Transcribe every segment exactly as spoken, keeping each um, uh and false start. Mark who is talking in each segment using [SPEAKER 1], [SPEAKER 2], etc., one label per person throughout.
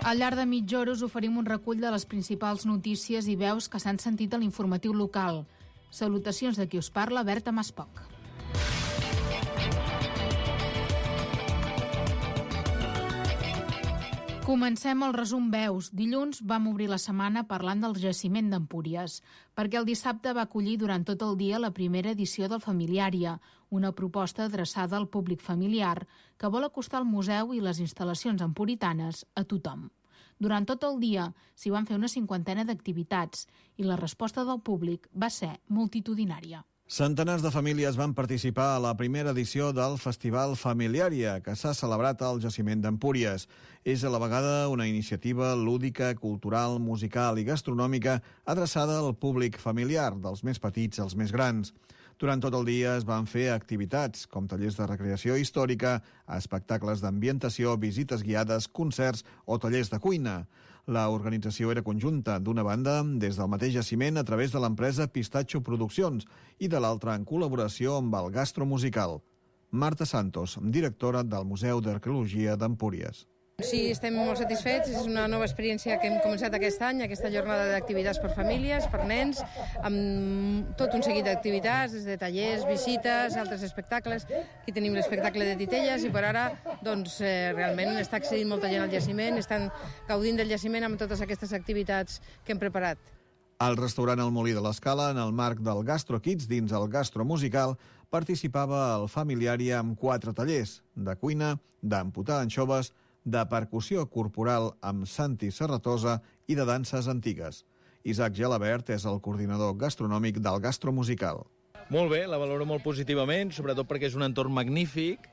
[SPEAKER 1] Al llarg de mitja hora us oferim un recull de les principals notícies i veus que s'han sentit a l'informatiu local. Salutacions de qui us parla, Berta Maspoc. Comencem el resum veus. Dilluns vam obrir la setmana parlant del jaciment d'Empúries, perquè el dissabte va acollir durant tot el dia la primera edició del Familiària, una proposta adreçada al públic familiar que vol acostar el museu i les instal·lacions empuritanes a tothom. Durant tot el dia s'hi van fer una cinquantena d'activitats i la resposta del públic va ser multitudinària.
[SPEAKER 2] Centenars de famílies van participar a la primera edició del Festival Familiària, que s'ha celebrat al jaciment d'Empúries. És a la vegada una iniciativa lúdica, cultural, musical i gastronòmica adreçada al públic familiar, dels més petits als més grans. Durant tot el dia es van fer activitats, com tallers de recreació històrica, espectacles d'ambientació, visites guiades, concerts o tallers de cuina. La organització era conjunta, d'una banda des del mateix jaciment a través de l'empresa Pistatxo Produccions i de l'altra en col·laboració amb el Gastromusical. Marta Santos, directora del Museu d'Arqueologia d'Empúries.
[SPEAKER 3] Sí, estem molt satisfets. És una nova experiència que hem començat aquest any, aquesta jornada d'activitats per famílies, per nens, amb tot un seguit d'activitats, des de tallers, visites, altres espectacles. Aquí tenim l'espectacle de titelles i per ara doncs, eh, realment està accedint molta gent al jaciment, estan gaudint del jaciment amb totes aquestes activitats que hem preparat.
[SPEAKER 2] Al restaurant El Molí de l'Escala, en el marc del Gastro Kids dins el Gastromusical, participava el Familiari amb quatre tallers de cuina, d'amputar anxoves, de percussió corporal amb Santi Serratosa i de danses antigues. Isaac Gelabert és el coordinador gastronòmic del Gastromusical.
[SPEAKER 4] Molt bé, la valoro molt positivament, sobretot perquè és un entorn magnífic,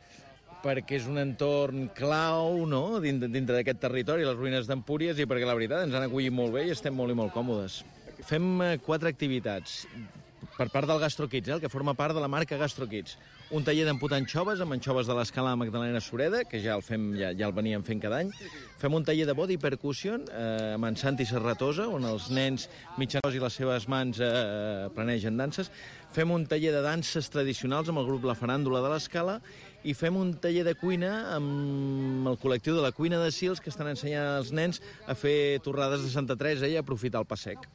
[SPEAKER 4] perquè és un entorn clau, no?, dintre, dintre d'aquest territori, les ruïnes d'Empúries, i perquè la veritat ens han acollit molt bé i estem molt i molt còmodes. Fem quatre activitats per part del Gastro Kids, eh, el que forma part de la marca Gastro Kids. Un taller d'amputar anxoves, amb anxoves de l'Escala Magdalena Sureda, que ja el fem, ja, ja el veníem fent cada any. Fem un taller de body percussion eh, amb en Santi Serratosa, on els nens mitjans i les seves mans eh, planegen danses. Fem un taller de danses tradicionals amb el grup La Faràndula de l'Escala i fem un taller de cuina amb el col·lectiu de la Cuina de Sils, que estan ensenyant als nens a fer torrades de Santa Teresa i a aprofitar el pa sec.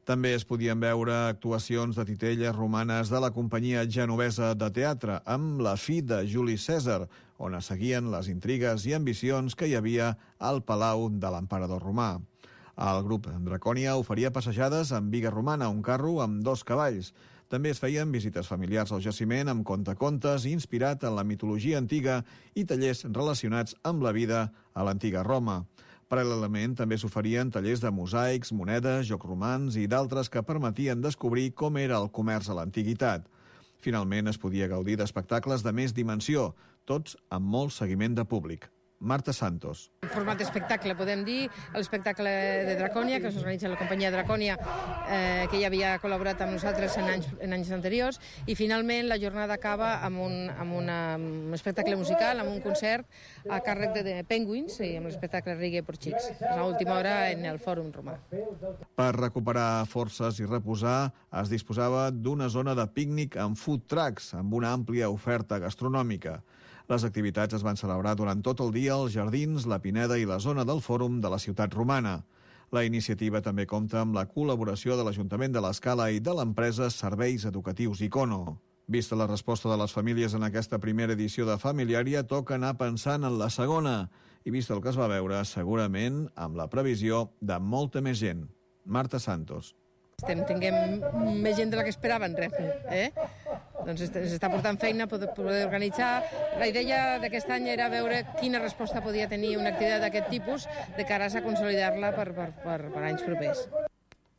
[SPEAKER 2] També es podien veure actuacions de titelles romanes de la companyia genovesa de teatre amb La fi de Juli Cèsar, on es seguien les intrigues i ambicions que hi havia al palau de l'emperador romà. El grup Dracònia oferia passejades amb biga romana, un carro amb dos cavalls. També es feien visites familiars al jaciment amb contacontes inspirat en la mitologia antiga i tallers relacionats amb la vida a l'antiga Roma. Paral·lelament també s'oferien tallers de mosaics, monedes, jocs romans i d'altres que permetien descobrir com era el comerç a l'antiguitat. Finalment es podia gaudir d'espectacles de més dimensió, tots amb molt seguiment de públic. Marta Santos.
[SPEAKER 3] En format d'espectacle, podem dir, l'espectacle de Dracònia, que s'organitza la companyia Dracònia, eh, que ja havia col·laborat amb nosaltres en anys, en anys anteriors, i finalment la jornada acaba amb un, amb una, un espectacle musical, amb un concert a càrrec de, de Penguins, i amb l'espectacle Reggae per Xics, a l'última hora en el Fòrum Romà.
[SPEAKER 2] Per recuperar forces i reposar, es disposava d'una zona de pícnic amb food trucks, amb una àmplia oferta gastronòmica. Les activitats es van celebrar durant tot el dia als jardins, la Pineda i la zona del Fòrum de la ciutat romana. La iniciativa també compta amb la col·laboració de l'Ajuntament de l'Escala i de l'empresa Serveis Educatius Icono. Vista la resposta de les famílies en aquesta primera edició de Familiària, toca anar pensant en la segona. I vist el que es va veure, segurament amb la previsió de molta més gent. Marta Santos.
[SPEAKER 3] Estem tinguem més gent de la que esperaven, eh? Doncs ens està portant feina poder, poder organitzar. La idea d'aquest any era veure quina resposta podia tenir una activitat d'aquest tipus de cara a consolidar-la per, per, per, per anys propers.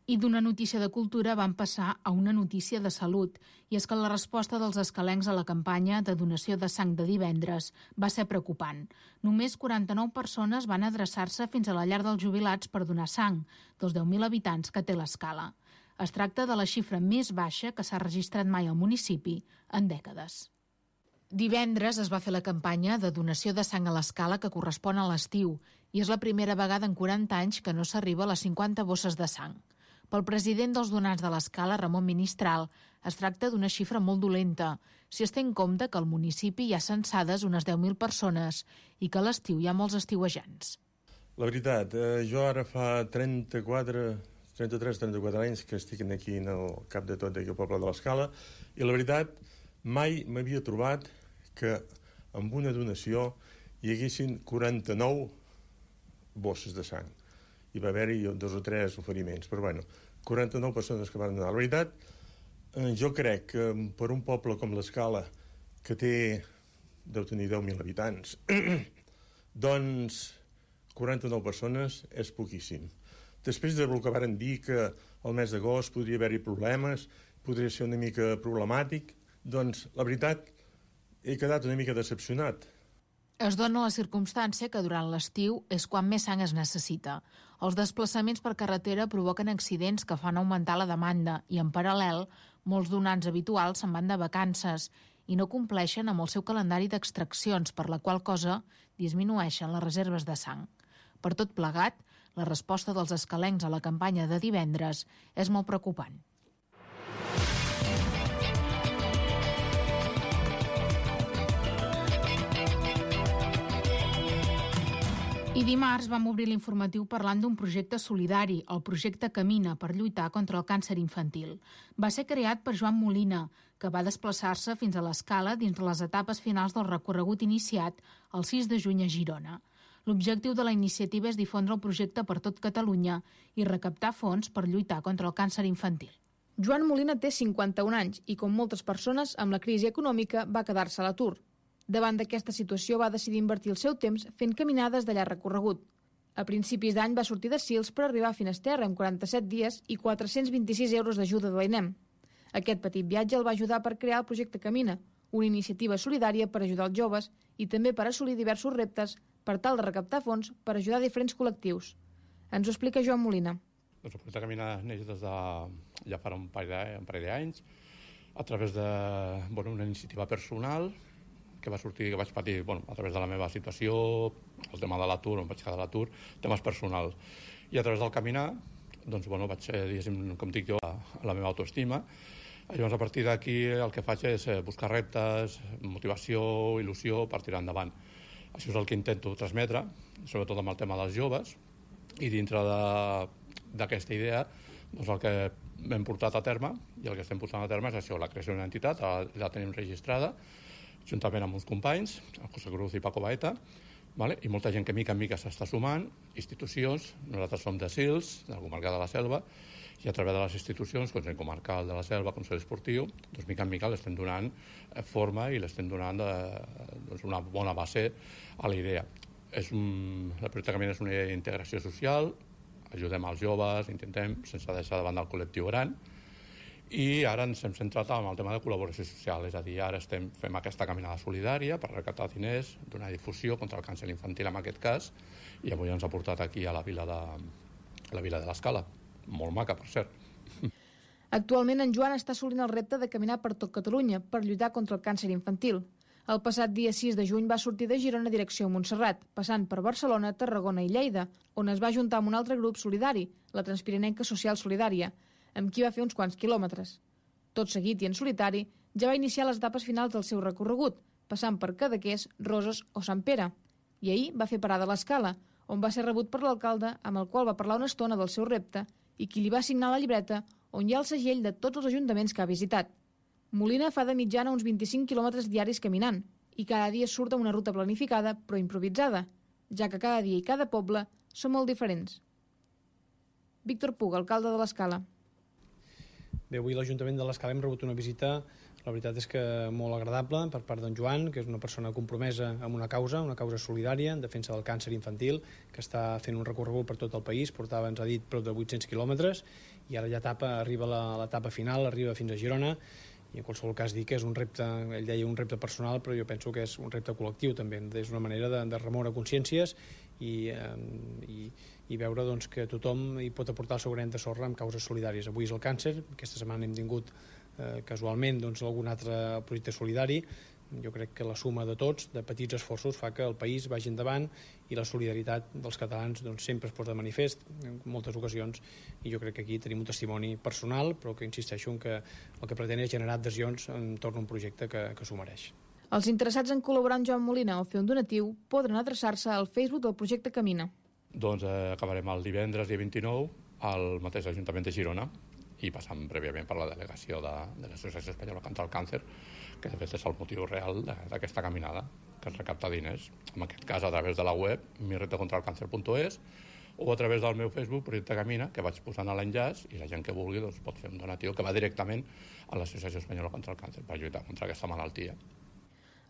[SPEAKER 1] I d'una notícia de cultura van passar a una notícia de salut, i és que la resposta dels escalencs a la campanya de donació de sang de divendres va ser preocupant. Només quaranta-nou persones van adreçar-se fins a la llar dels jubilats per donar sang, dels deu mil habitants que té l'Escala. Es tracta de la xifra més baixa que s'ha registrat mai al municipi en dècades. Divendres es va fer la campanya de donació de sang a l'Escala que correspon a l'estiu, i és la primera vegada en quaranta anys que no s'arriba a les cinquanta bosses de sang. Pel president dels donants de l'Escala, Ramon Ministral, es tracta d'una xifra molt dolenta, si es té en compte que al municipi hi ha censades unes deu mil persones i que a l'estiu hi ha molts estiuejants.
[SPEAKER 5] La veritat, eh, jo ara fa trenta-quatre, trenta-tres trenta-quatre anys que estic aquí en el cap de tot d'aquí al poble de l'Escala, i la veritat, mai m'havia trobat que amb una donació hi haguessin quaranta-nou bosses de sang. Hi va haver-hi dos o tres oferiments, però bueno, quaranta-nou persones que van donar. La veritat, eh, jo crec que per un poble com l'Escala, que té, deu tenir deu mil habitants, doncs quaranta-nou persones és poquíssim. Després del que varen dir que el mes d'agost podria haver-hi problemes, podria ser una mica problemàtic, doncs la veritat he quedat una mica decepcionat.
[SPEAKER 1] Es dona la circumstància que durant l'estiu és quan més sang es necessita. Els desplaçaments per carretera provoquen accidents que fan augmentar la demanda i, en paral·lel, molts donants habituals se'n van de vacances i no compleixen amb el seu calendari d'extraccions, per la qual cosa disminueixen les reserves de sang. Per tot plegat, la resposta dels escalencs a la campanya de divendres és molt preocupant. I dimarts vam obrir l'informatiu parlant d'un projecte solidari, el projecte Camina, per lluitar contra el càncer infantil. Va ser creat per Joan Molina, que va desplaçar-se fins a l'Escala dins les etapes finals del recorregut iniciat el sis de juny a Girona. L'objectiu de la iniciativa és difondre el projecte per tot Catalunya i recaptar fons per lluitar contra el càncer infantil.
[SPEAKER 6] Joan Molina té cinquanta-un anys i, com moltes persones, amb la crisi econòmica va quedar-se a l'atur. Davant d'aquesta situació va decidir invertir el seu temps fent caminades de llarg recorregut. A principis d'any va sortir de Sils per arribar a Finisterre en quaranta-set dies i quatre-cents vint-i-sis euros d'ajuda de l'A I N E M. Aquest petit viatge el va ajudar per crear el projecte Camina, una iniciativa solidària per ajudar els joves i també per assolir diversos reptes per tal de recaptar fons per ajudar diferents col·lectius. Ens ho explica Joan Molina.
[SPEAKER 7] Doncs el projecte Camina neix des de ja fa un parell d'anys a través de bueno, una iniciativa personal que va sortir, que vaig patir bueno, a través de la meva situació, el tema de l'atur, on vaig quedar a l'atur, temes personals. I a través del caminar, doncs, bueno, vaig, diguéssim, com dic jo, a la meva autoestima. I llavors, a partir d'aquí, el que faig és buscar reptes, motivació, il·lusió per tirar endavant. Això és el que intento transmetre, sobretot amb el tema dels joves, i dintre d'aquesta idea, doncs el que hem portat a terme, i el que estem portant a terme és això, la creació d'una entitat, la tenim registrada, juntament amb uns companys, el José Cruz i Paco Baeta, vale? I molta gent que mica en mica s'està sumant, institucions, nosaltres som de Sils, de la comarca de la Selva, i a través de les institucions, Consell Comarcal de la Selva, Consell Esportiu, doncs mica en mica l'estem donant forma i l'estem donant de, doncs una bona base a la idea. És un, el projecte Camina és una idea d'integració social, ajudem als joves, intentem, sense deixar de banda el col·lectiu gran, i ara ens hem centrat en el tema de col·laboració social, és a dir, ara estem, fem aquesta caminada solidària per recaptar diners, donar difusió contra el càncer infantil en aquest cas, i avui ens ha portat aquí a la vila de, a la vila de l'Escala, molt maca, per cert.
[SPEAKER 6] Actualment en Joan està assolint el repte de caminar per tot Catalunya per lluitar contra el càncer infantil. El passat dia sis de juny va sortir de Girona direcció a Montserrat, passant per Barcelona, Tarragona i Lleida, on es va ajuntar amb un altre grup solidari, la Transpirinenca Social Solidària, amb qui va fer uns quants quilòmetres. Tot seguit i en solitari, ja va iniciar les etapes finals del seu recorregut, passant per Cadaqués, Roses o Sant Pere. I ahir va fer parada a l'Escala, on va ser rebut per l'alcalde, amb el qual va parlar una estona del seu repte i qui li va assignar la llibreta on hi ha el segell de tots els ajuntaments que ha visitat. Molina fa de mitjana uns vint-i-cinc quilòmetres diaris caminant i cada dia surt amb una ruta planificada però improvisada, ja que cada dia i cada poble són molt diferents. Víctor Puga, alcalde de l'Escala.
[SPEAKER 8] Bé, avui l'Ajuntament de l'Escala hem rebut una visita, la veritat és que molt agradable per part d'en Joan, que és una persona compromesa amb una causa, una causa solidària en defensa del càncer infantil, que està fent un recorregut per tot el país, portava, ens ha dit, prop de vuit-cents quilòmetres, i ara ja etapa, arriba a l'etapa final, arriba fins a Girona, i en qualsevol cas dir que és un repte, ell deia un repte personal, però jo penso que és un repte col·lectiu també, és una manera de, de remoure consciències i, eh, i, i veure doncs, que tothom hi pot aportar el seu granet de sorra amb causes solidàries. Avui és el càncer, aquesta setmana hem tingut eh, casualment doncs, algun altre projecte solidari. Jo crec que la suma de tots, de petits esforços, fa que el país vagi endavant i la solidaritat dels catalans doncs, sempre es posa de manifest en moltes ocasions, i jo crec que aquí tenim un testimoni personal, però que insisteixo en que el que pretén és generar adhesions entorn a un projecte que, que s'ho mereix.
[SPEAKER 6] Els interessats en col·laborar amb Joan Molina o fer un donatiu podran adreçar-se al Facebook del projecte Camina.
[SPEAKER 7] Doncs eh, acabarem el divendres, dia vint-i-nou, al mateix Ajuntament de Girona, i passant prèviament per la delegació de, de l'Associació Espanyola contra el Càncer, que de fet és el motiu real d'aquesta caminada, que es recapta diners, en aquest cas a través de la web mi reta contra el càncer punt es o a través del meu Facebook, Projecte Camina, que vaig posant a l'enllaç, i la gent que vulgui doncs, pot fer un donatiu que va directament a l'Associació Espanyola contra el Càncer per lluitar contra aquesta malaltia.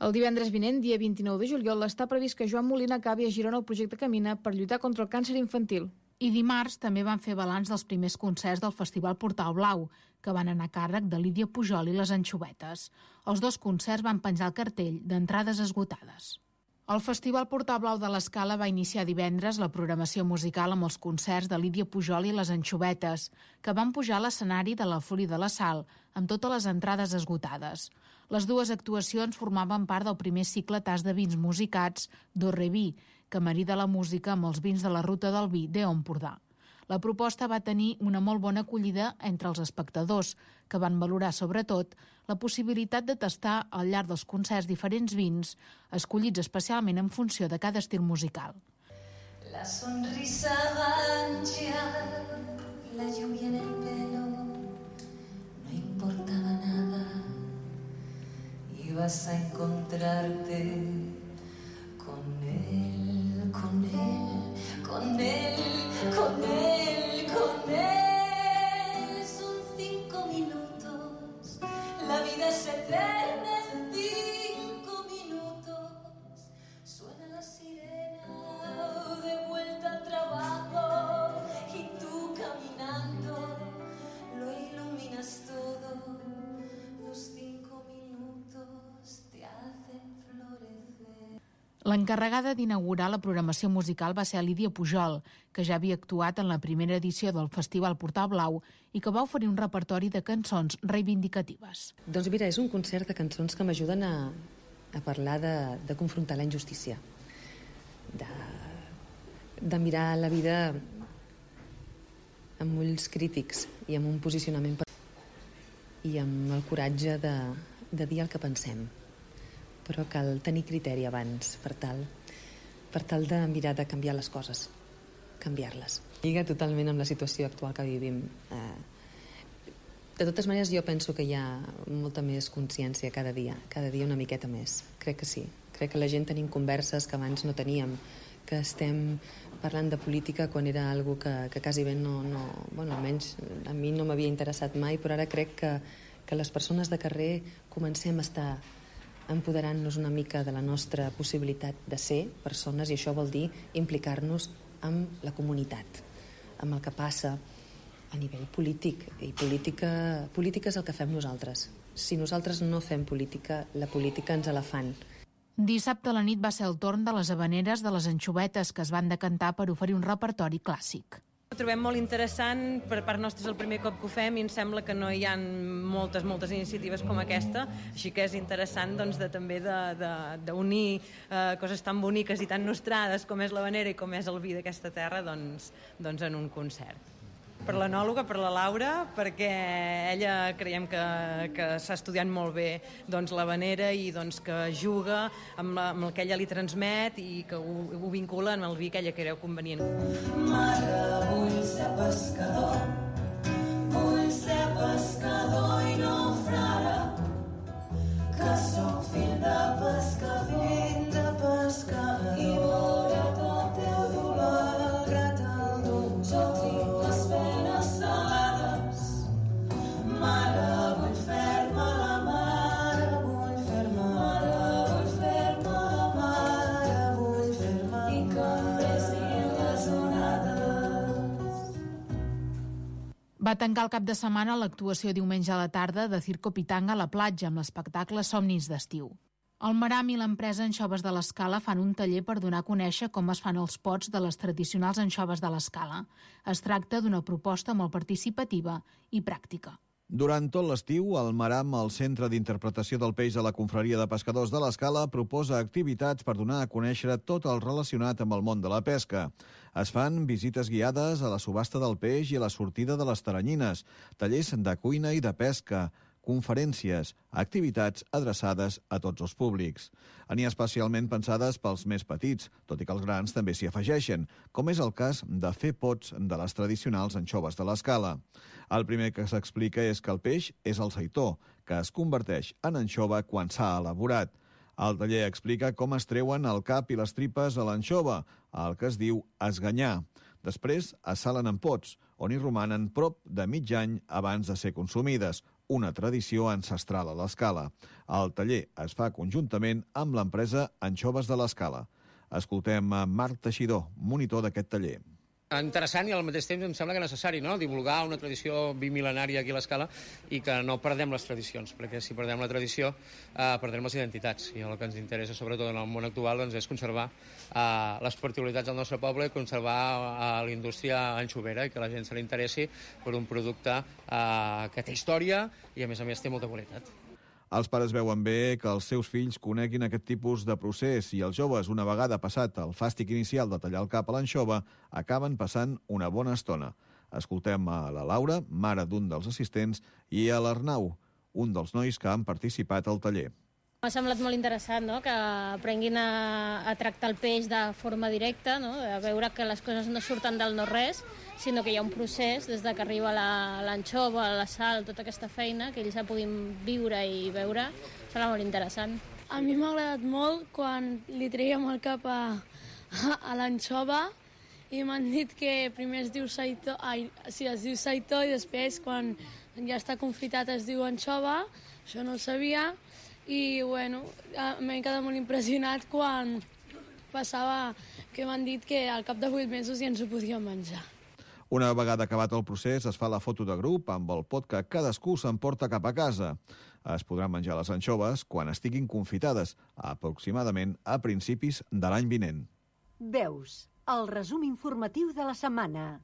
[SPEAKER 6] El divendres vinent, dia vint-i-nou de juliol, està previst que Joan Molina acabi a Girona el projecte Camina per lluitar contra el càncer infantil.
[SPEAKER 1] I dimarts també van fer balanç dels primers concerts del Festival Portal Blau, que van anar a càrrec de Lídia Pujol i les Anxovetes. Els dos concerts van penjar el cartell d'entrades esgotades. El Festival Portal Blau de l'Escala va iniciar divendres la programació musical amb els concerts de Lídia Pujol i les Anxovetes, que van pujar a l'escenari de la Florida de la Sal, amb totes les entrades esgotades. Les dues actuacions formaven part del primer cicle tas de vins musicats d'Orreví, que marida la música amb els vins de la Ruta del Vi d'Empordà. La proposta va tenir una molt bona acollida entre els espectadors, que van valorar sobretot la possibilitat de tastar al llarg dels concerts diferents vins, escollits especialment en funció de cada estil musical.
[SPEAKER 9] La sonrisa ancha, la lluvia en el pelo, no importaba nada, ibas a encontrarte con él, con él, con él, con él, con él. Son cinco minutos, la vida es eterna en cinco minutos. Suena la sirena de vuelta al trabajo y tú caminando lo iluminas todo. Los cinco minutos te hacen florecer.
[SPEAKER 1] L'encarregada d'inaugurar la programació musical va ser Lídia Pujol, que ja havia actuat en la primera edició del Festival Portal Blau i que va oferir un repertori de cançons reivindicatives.
[SPEAKER 10] Doncs mira, és un concert de cançons que m'ajuden a, a parlar de, de confrontar la injustícia, de, de mirar la vida amb ulls crítics i amb un posicionament per... i amb el coratge de, de dir el que pensem. Però cal tenir criteri abans per tal, per tal de mirar de canviar les coses, canviar-les. Lliga totalment amb la situació actual que vivim. De totes maneres, jo penso que hi ha molta més consciència cada dia, cada dia una miqueta més. Crec que sí. Crec que la gent tenim converses que abans no teníem, que estem parlant de política quan era algo que, que quasi bé no, no... Bueno, almenys a mi no m'havia interessat mai, però ara crec que, que les persones de carrer comencem a estar empoderant-nos una mica de la nostra possibilitat de ser persones, i això vol dir implicar-nos amb la comunitat, amb el que passa a nivell polític. I política, política és el que fem nosaltres. Si nosaltres no fem política, la política ens la fan.
[SPEAKER 1] Dissabte a la nit va ser el torn de les havaneres de les Anxovetes, que es van decantar per oferir un repertori clàssic.
[SPEAKER 11] Ho trobem molt interessant, per part nostra és el primer cop que ho fem i em sembla que no hi ha moltes, moltes iniciatives com aquesta, així que és interessant doncs, de, també d'unir eh, coses tan boniques i tan nostrades com és l'havanera i com és el vi d'aquesta terra doncs, doncs en un concert. Per l'anòloga, per la Laura, perquè ella creiem que, que s'ha estudiat molt bé doncs, l'havanera i doncs, que juga amb, la, amb el que ella li transmet i que ho, ho vincula amb el vi que ella creu convenient.
[SPEAKER 9] Mare, vull ser pescador, vull ser pescador i no frare, que sóc fill de pescador, fill de pescador, i veure tot el dolor, el grat, el dur, jo tinc les penes salades. Mare, vull fer-me la mare, vull fer-me, mare, vull fer-me la mare, vull fer-me, i que em besin les onades.
[SPEAKER 1] Va tancar el cap de setmana l'actuació diumenge a la tarda de Circo Pitanga a la platja amb l'espectacle Somnis d'estiu. El Maram i l'empresa Anxoves de l'Escala fan un taller per donar a conèixer com es fan els pots de les tradicionals anxoves de l'Escala. Es tracta d'una proposta molt participativa i pràctica.
[SPEAKER 2] Durant tot l'estiu, el Maram, el Centre d'Interpretació del Peix de la Confraria de Pescadors de l'Escala, proposa activitats per donar a conèixer tot el relacionat amb el món de la pesca. Es fan visites guiades a la subhasta del peix i a la sortida de les taranyines, tallers de cuina i de pesca, conferències, activitats adreçades a tots els públics. N'hi ha especialment pensades pels més petits, tot i que els grans també s'hi afegeixen, com és el cas de fer pots de les tradicionals anxoves de l'Escala. El primer que s'explica és que el peix és el seitó, que es converteix en anxova quan s'ha elaborat. El taller explica com es treuen el cap i les tripes a l'anxova, el que es diu esganyar. Després es salen en pots, on hi romanen prop de mig any abans de ser consumides, una tradició ancestral a l'Escala. El taller es fa conjuntament amb l'empresa Anxoves de l'Escala. Escoltem a Marc Teixidor, monitor d'aquest taller.
[SPEAKER 12] Interessant i al mateix temps em sembla que necessari, no?, divulgar una tradició bimil·lenària aquí a l'Escala i que no perdem les tradicions, perquè si perdem la tradició eh, perdrem les identitats. I el que ens interessa, sobretot en el món actual, doncs, és conservar eh, les particularitats del nostre poble i conservar eh, la indústria anxovera i que la gent se li interessi per un producte eh, que té història i, a més a més, té molta qualitat.
[SPEAKER 2] Els pares veuen bé que els seus fills coneguin aquest tipus de procés i els joves, una vegada passat el fàstic inicial de tallar el cap a l'anxova, acaben passant una bona estona. Escoltem a la Laura, mare d'un dels assistents, i a l'Arnau, un dels nois que han participat al taller.
[SPEAKER 13] M'ha semblat molt interessant, no?, que aprenguin a, a tractar el peix de forma directa, no?, a veure que les coses no surten del no-res, sinó que hi ha un procés des de que arriba l'anxova, la, la sal, tota aquesta feina, que ells la puguin viure i veure. Serà molt interessant.
[SPEAKER 14] A mi m'ha agradat molt quan li traiem el cap a, a, a l'anxova i m'han dit que primer es diu seitó, ai, sí, es diu seitó i després, quan ja està confitat, es diu anxova. Això no ho sabia. I, bueno, m'he quedat molt impressionat quan passava que m'han dit que al cap de vuit mesos ja ens ho podíem menjar.
[SPEAKER 2] Una vegada acabat el procés, es fa la foto de grup amb el pot que cadascú s'emporta cap a casa. Es podran menjar les anxoves quan estiguin confitades, aproximadament a principis de l'any vinent.
[SPEAKER 15] Veus, el resum informatiu de la setmana.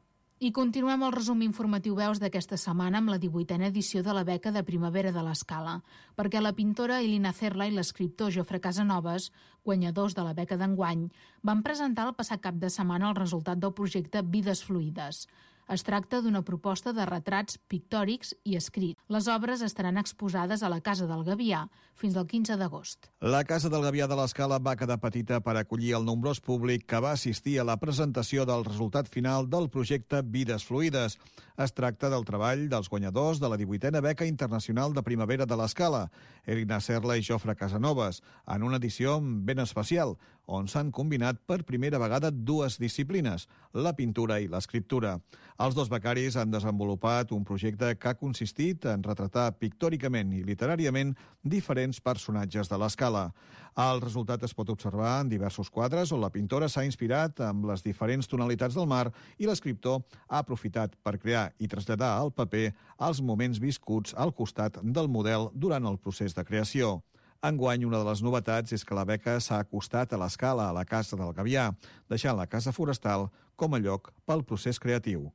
[SPEAKER 1] I continuem el resum informatiu Veus d'aquesta setmana amb la divuitena edició de la beca de primavera de l'Escala, perquè la pintora Elina Cerla i l'escriptor Jofre Casanovas, guanyadors de la beca d'enguany, van presentar el passat cap de setmana el resultat del projecte Vides Fluides. Es tracta d'una proposta de retrats pictòrics i escrits. Les obres estaran exposades a la Casa del Gavià fins al quinze d'agost.
[SPEAKER 2] La Casa del Gavià de l'Escala va quedar petita per acollir el nombrós públic que va assistir a la presentació del resultat final del projecte Vides Fluides. Es tracta del treball dels guanyadors de la divuitena beca internacional de primavera de l'Escala, Elina Cerla i Jofre Casanovas, en una edició ben especial, on s'han combinat per primera vegada dues disciplines, la pintura i l'escriptura. Els dos becaris han desenvolupat un projecte que ha consistit en retratar pictòricament i literàriament diferents personatges de l'Escala. El resultat es pot observar en diversos quadres on la pintora s'ha inspirat amb les diferents tonalitats del mar i l'escriptor ha aprofitat per crear i traslladar al paper els moments viscuts al costat del model durant el procés de creació. Enguany, una de les novetats és que la beca s'ha acostat a l'Escala, a la Casa del Gavià, deixant la Casa Forestal com a lloc pel procés creatiu.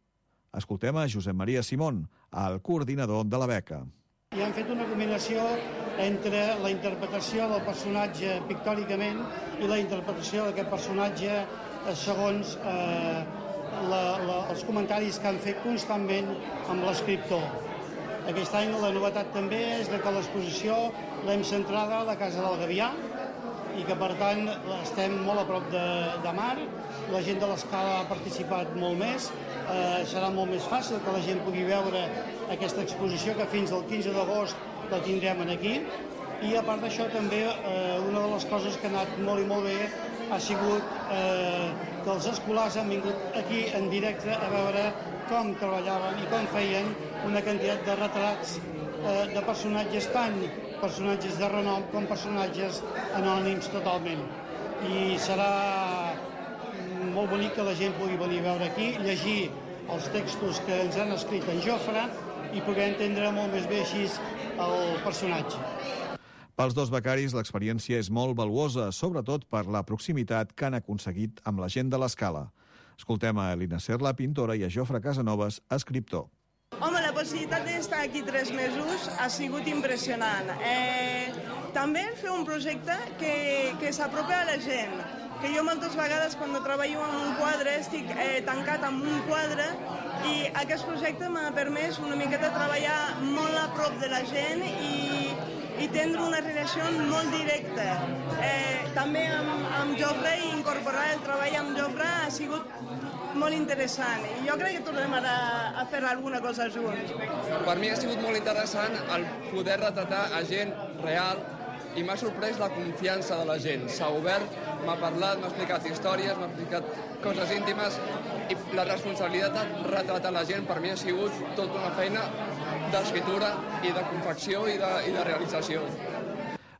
[SPEAKER 2] Escoltem a Josep Maria Simón, el coordinador de la beca.
[SPEAKER 16] I han fet una combinació entre la interpretació del personatge pictòricament i la interpretació d'aquest personatge segons eh, la, la, els comentaris que han fet constantment amb l'escriptor. Aquest any la novetat també és que l'exposició l'hem centrada a la Casa del Gavià i que, per tant, estem molt a prop de, de mar. La gent de l'Escala ha participat molt més. Eh, serà molt més fàcil que la gent pugui veure aquesta exposició que fins al quinze d'agost la tindrem aquí. I, a part d'això, també eh, una de les coses que ha anat molt i molt bé ha sigut eh, que els escolars han vingut aquí en directe a veure com treballaven i com feien una quantitat de retrats eh, de personatges, tant personatges de renom com personatges anònims totalment. I serà molt bonic que la gent pugui venir a veure aquí, llegir els textos que ens han escrit en Jofre i poder entendre molt més bé així el personatge.
[SPEAKER 2] Pels dos becaris, l'experiència és molt valuosa, sobretot per la proximitat que han aconseguit amb la gent de l'Escala. Escoltem a Elina Cerla, pintora, i a Jofre Casanovas, escriptor.
[SPEAKER 17] Home, la possibilitat d'estar aquí tres mesos ha sigut impressionant. Eh, també fer un projecte que, que s'apropa a la gent, que jo moltes vegades quan treballo en un quadre estic eh, tancat en un quadre i aquest projecte m'ha permès una miqueta treballar molt a prop de la gent i, i tindre una relació molt directa. Eh, també amb, amb Jofre i incorporar el treball amb Jofre ha sigut molt interessant i jo crec que tornem ara a fer alguna cosa junts.
[SPEAKER 18] Per mi ha sigut molt interessant el poder retratar a gent real i m'ha sorprès la confiança de la gent. S'ha obert, m'ha parlat, m'ha explicat històries, m'ha explicat coses íntimes i la responsabilitat de retratar la gent per mi ha sigut tota una feina d'escriptura i de confecció i de, i de realització.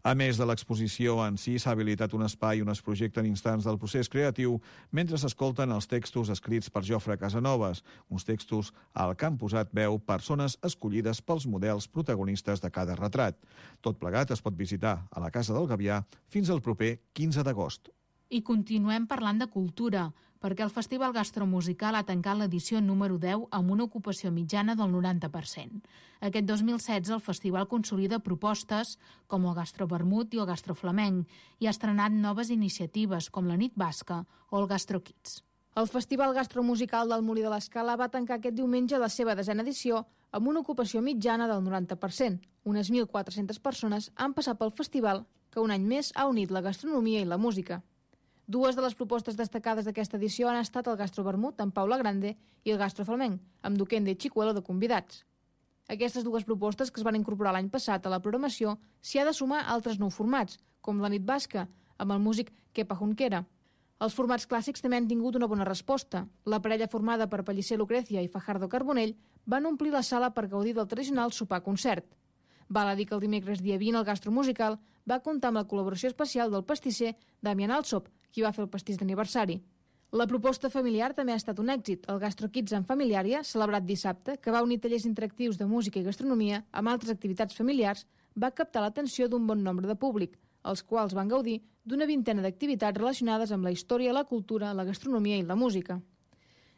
[SPEAKER 2] A més de l'exposició en si, s'ha habilitat un espai on es projecten instants del procés creatiu mentre s'escolten els textos escrits per Jofre Casanovas, uns textos al que han posat veu persones escollides pels models protagonistes de cada retrat. Tot plegat es pot visitar a la Casa del Gavià fins al proper quinze d'agost.
[SPEAKER 1] I continuem parlant de cultura, perquè el Festival Gastromusical ha tancat l'edició número deu amb una ocupació mitjana del noranta per cent. Aquest dos mil setze el festival consolida propostes com el Gastrovermut i el Gastroflamenc i ha estrenat noves iniciatives com la Nit Basca o el Gastrokids.
[SPEAKER 6] El Festival Gastromusical del Molí de l'Escala va tancar aquest diumenge la seva desena edició amb una ocupació mitjana del noranta per cent. Unes mil quatre-centes persones han passat pel festival que un any més ha unit la gastronomia i la música. Dues de les propostes destacades d'aquesta edició han estat el Gastrovermut amb Paula Grande i el Gastroflamenc, amb Duquende i Chicuelo de convidats. Aquestes dues propostes que es van incorporar l'any passat a la programació s'hi ha de sumar altres nou formats, com la Nit Basca, amb el músic Kepa Junquera. Els formats clàssics també han tingut una bona resposta. La parella formada per Pellicer Lucrecia i Fajardo Carbonell van omplir la sala per gaudir del tradicional sopar-concert. Val a dir que el dimecres dia vint el Gastromusical va comptar amb la col·laboració especial del pastisser Damian Alsop, qui va fer el pastís d'aniversari. La proposta familiar també ha estat un èxit. El Gastrokids en Familiària, celebrat dissabte, que va unir tallers interactius de música i gastronomia amb altres activitats familiars, va captar l'atenció d'un bon nombre de públic, els quals van gaudir d'una vintena d'activitats relacionades amb la història, la cultura, la gastronomia i la música.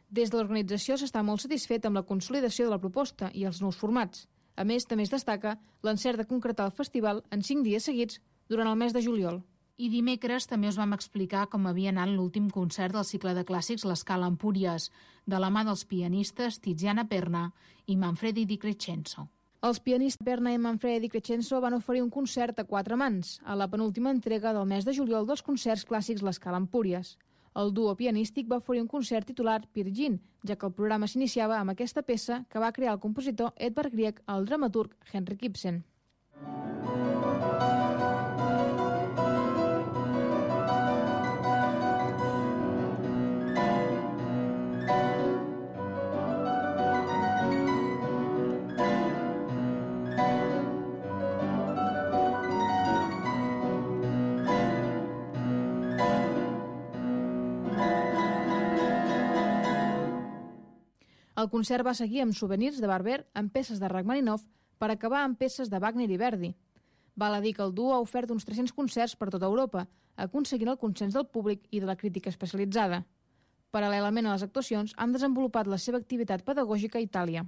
[SPEAKER 6] Des de l'organització s'està molt satisfet amb la consolidació de la proposta i els nous formats. A més, també es destaca l'encert de concretar el festival en cinc dies seguits durant el mes de juliol.
[SPEAKER 1] I dimecres també us vam explicar com havia anat l'últim concert del cicle de clàssics l'Escala Empúries, de la mà dels pianistes Tiziana Perna i Manfredi Di Crescenzo.
[SPEAKER 6] Els pianistes Perna i Manfredi Di Crescenzo van oferir un concert a quatre mans, a la penúltima entrega del mes de juliol dels concerts clàssics l'Escala Empúries. El duo pianístic va oferir un concert titulat Pirgin, ja que el programa s'iniciava amb aquesta peça que va crear el compositor Edvard Grieg al dramaturg Henrik Ibsen. El concert va seguir amb souvenirs de Barber amb peces de Rachmaninoff per acabar amb peces de Wagner i Verdi. Val a dir que el duo ha ofert uns tres-cents concerts per tota Europa, aconseguint el consens del públic i de la crítica especialitzada. Paral·lelament a les actuacions, han desenvolupat la seva activitat pedagògica a Itàlia.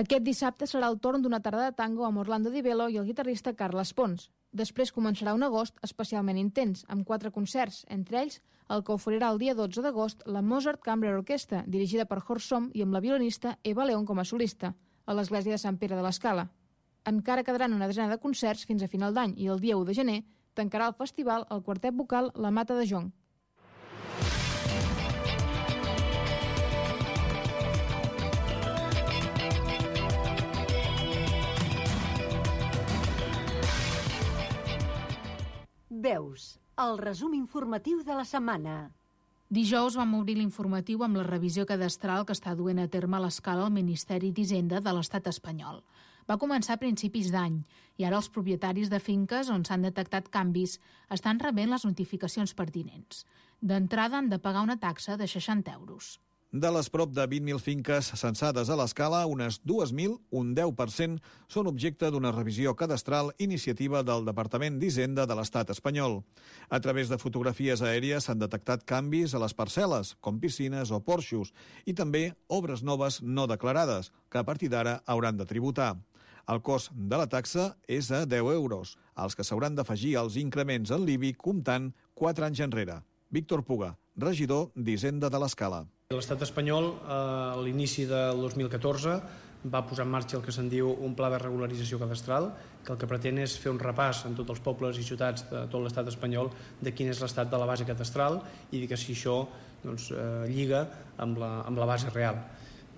[SPEAKER 6] Aquest dissabte serà el torn d'una tarda de tango amb Orlando Di Velo i el guitarrista Carles Pons. Després començarà un agost especialment intens, amb quatre concerts, entre ells el que oferirà el dia dotze d'agost la Mozart Chamber Orchestra, dirigida per Horst Somm i amb la violinista Eva León com a solista, a l'església de Sant Pere de l'Escala. Encara quedaran una desena de concerts fins a final d'any i el dia u de gener tancarà el festival el quartet vocal La Mata de Jonc.
[SPEAKER 15] Veus, el resum informatiu de la setmana.
[SPEAKER 1] Dijous vam obrir l'informatiu amb la revisió cadastral que està duent a terme a l'Escala el Ministeri d'Hisenda de l'Estat espanyol. Va començar a principis d'any i ara els propietaris de finques on s'han detectat canvis estan rebent les notificacions pertinents. D'entrada han de pagar una taxa de seixanta euros.
[SPEAKER 2] De les prop de vint mil finques censades a l'Escala, unes dues mil, un deu per cent, són objecte d'una revisió cadastral iniciativa del Departament d'Hisenda de l'Estat espanyol. A través de fotografies aèries s'han detectat canvis a les parcel·les, com piscines o porxos, i també obres noves no declarades, que a partir d'ara hauran de tributar. El cost de la taxa és de deu euros, als que s'hauran d'afegir els increments en l'I B I comptant quatre anys enrere. Víctor Puga, regidor d'Hisenda de l'Escala.
[SPEAKER 8] L'estat espanyol, a l'inici del dos mil catorze, va posar en marxa el que se'n diu un pla de regularització cadastral, que el que pretén és fer un repàs en tots els pobles i ciutats de tot l'estat espanyol de quin és l'estat de la base cadastral i que si això doncs, eh, lliga amb la, amb la base real.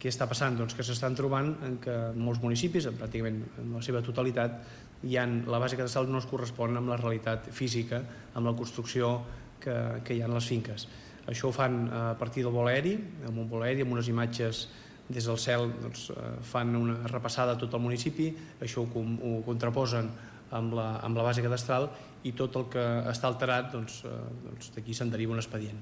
[SPEAKER 8] Què està passant? Doncs que s'estan trobant en que molts municipis, pràcticament en la seva totalitat, hi ha, la base cadastral no es correspon amb la realitat física, amb la construcció que, que hi ha en les finques. Això ho fan a partir del vol aeri, amb un vol aeri, amb unes imatges des del cel, doncs, fan una repassada a tot el municipi, això ho, ho contraposen amb la, amb la base cadastral i tot el que està alterat, doncs, doncs d'aquí se'n deriva un expedient.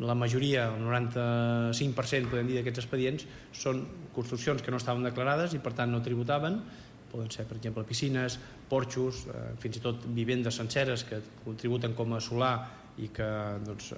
[SPEAKER 8] La majoria, el noranta-cinc per cent, podem dir, d'aquests expedients són construccions que no estaven declarades i per tant no tributaven. Poden ser, per exemple, piscines, porxos, eh, fins i tot vivendes senceres que contributen com a solar i que doncs,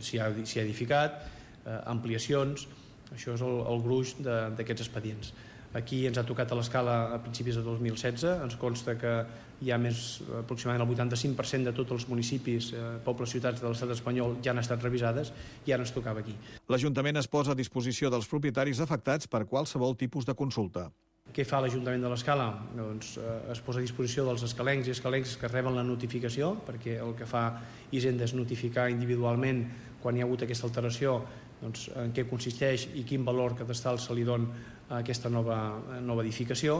[SPEAKER 8] s'hi ha, s'hi ha edificat, eh, ampliacions. Això és el, el gruix d'aquests expedients. Aquí ens ha tocat a l'Escala a principis de dos mil setze, ens consta que hi ha més, aproximadament el vuitanta-cinc per cent de tots els municipis, eh, pobles, ciutats de l'estat espanyol ja han estat revisades i ara ens tocava aquí.
[SPEAKER 2] L'Ajuntament es posa a disposició dels propietaris afectats per qualsevol tipus de consulta.
[SPEAKER 8] Què fa l'Ajuntament de l'Escala? Doncs eh, es posa a disposició dels escalencs i escalencs que reben la notificació, perquè el que fa Hisenda és notificar individualment quan hi ha hagut aquesta alteració, doncs, en què consisteix i quin valor cadastral se li dona a aquesta nova, nova edificació,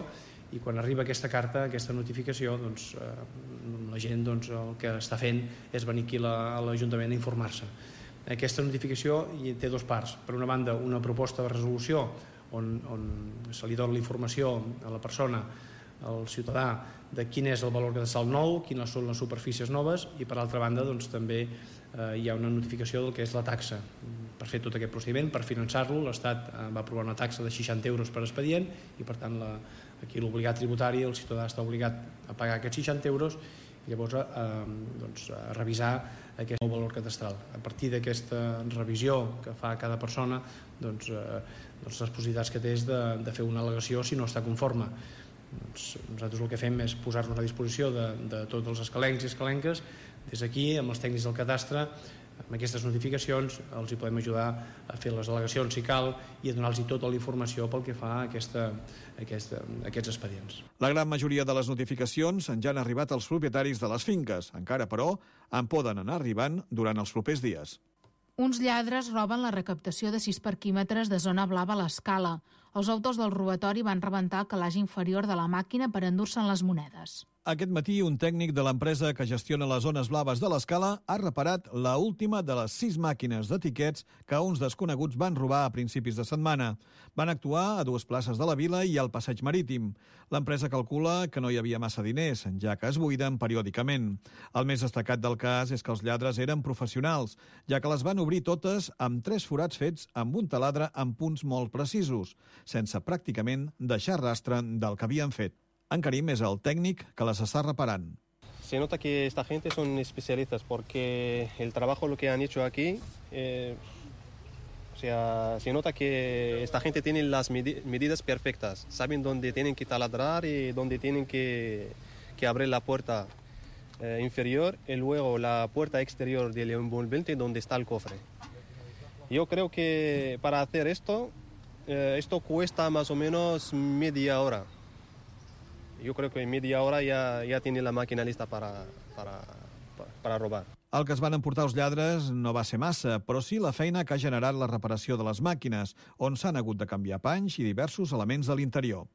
[SPEAKER 8] i quan arriba aquesta carta, aquesta notificació, doncs, eh, la gent doncs, el que està fent és venir aquí a l'Ajuntament a informar-se. Aquesta notificació té dues parts. Per una banda, una proposta de resolució on, on se li dona la informació a la persona, al ciutadà, de quin és el valor cadastral nou, quines són les superfícies noves, i per altra banda doncs, també eh, hi ha una notificació del que és la taxa. Per fer tot aquest procediment, per finançar-lo, l'Estat eh, va aprovar una taxa de seixanta euros per expedient i per tant la, aquí l'obligat tributari, el ciutadà està obligat a pagar aquests seixanta euros i llavors eh, doncs, a revisar aquest nou valor cadastral. A partir d'aquesta revisió que fa cada persona, doncs, eh, doncs les possibilitats que té és de, de fer una al·legació si no està conforme. Doncs nosaltres el que fem és posar-nos a disposició de, de tots els escalencs i escalenques. Des d'aquí, amb els tècnics del cadastre, amb aquestes notificacions els hi podem ajudar a fer les al·legacions si cal i a donar-los tota la informació pel que fa a aquesta, aquesta, aquests expedients.
[SPEAKER 2] La gran majoria de les notificacions ja han arribat als propietaris de les finques. Encara, però, en poden anar arribant durant els propers dies.
[SPEAKER 1] Uns lladres roben la recaptació de sis parquímetres de zona blava a l'Escala. Els autors del robatori van rebentar el calaix inferior de la màquina per endur-se'n les monedes.
[SPEAKER 2] Aquest matí, un tècnic de l'empresa que gestiona les zones blaves de l'Escala ha reparat la última de les sis màquines de tiquets que uns desconeguts van robar a principis de setmana. Van actuar a dues places de la vila i al passeig marítim. L'empresa calcula que no hi havia massa diners, ja que es buiden periòdicament. El més destacat del cas és que els lladres eren professionals, ja que les van obrir totes amb tres forats fets amb un taladre amb punts molt precisos, sense pràcticament deixar rastre del que havien fet. En Karim és el tècnic que les està reparant.
[SPEAKER 19] Se nota que esta gente son especialistas porque el trabajo lo que han hecho aquí, eh, o sea, se nota que esta gente tiene las medi- medidas perfectas, saben dónde tienen que taladrar y dónde tienen que, que abrir la puerta eh, inferior y luego la puerta exterior del envolvente donde está el cofre. Yo creo que para hacer esto, eh, esto cuesta más o menos media hora. Jo crec que en media hora ja, ja tiene la màquina lista para, para, para robar.
[SPEAKER 2] El que es van emportar els lladres no va ser massa, però sí la feina que ha generat la reparació de les màquines, on s'han hagut de canviar panys i diversos elements de l'interior.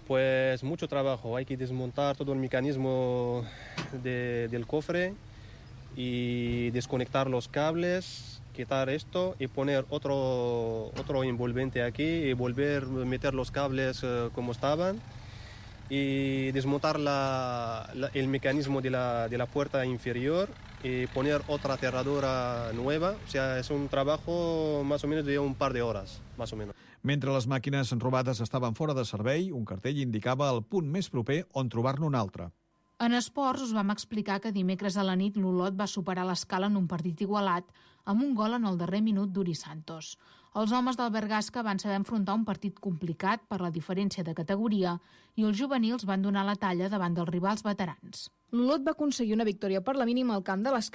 [SPEAKER 19] Pues mucho trabajo, hay que desmontar todo el mecanismo de, del cofre y desconectar los cables, quitar esto y poner otro, otro envolvente aquí y volver a meter los cables uh, como estaban. y desmontar la, la, el mecanismo de la, de la puerta inferior y poner otra cerradura nueva. O sea, es un trabajo más o menos de un par de horas, más o menos.
[SPEAKER 2] Mentre les màquines robades estaven fora de servei, un cartell indicava el punt més proper on trobar-ne un altre.
[SPEAKER 1] En esports us vam explicar que dimecres a la nit l'Olot va superar l'escala en un partit igualat amb un gol en el darrer minut d'Uri Santos. Els homes del Bergasca van saber enfrontar un partit complicat per la diferència de categoria i els juvenils van donar la talla davant dels rivals veterans.
[SPEAKER 6] L'Olot va aconseguir una victòria per la mínima al camp de les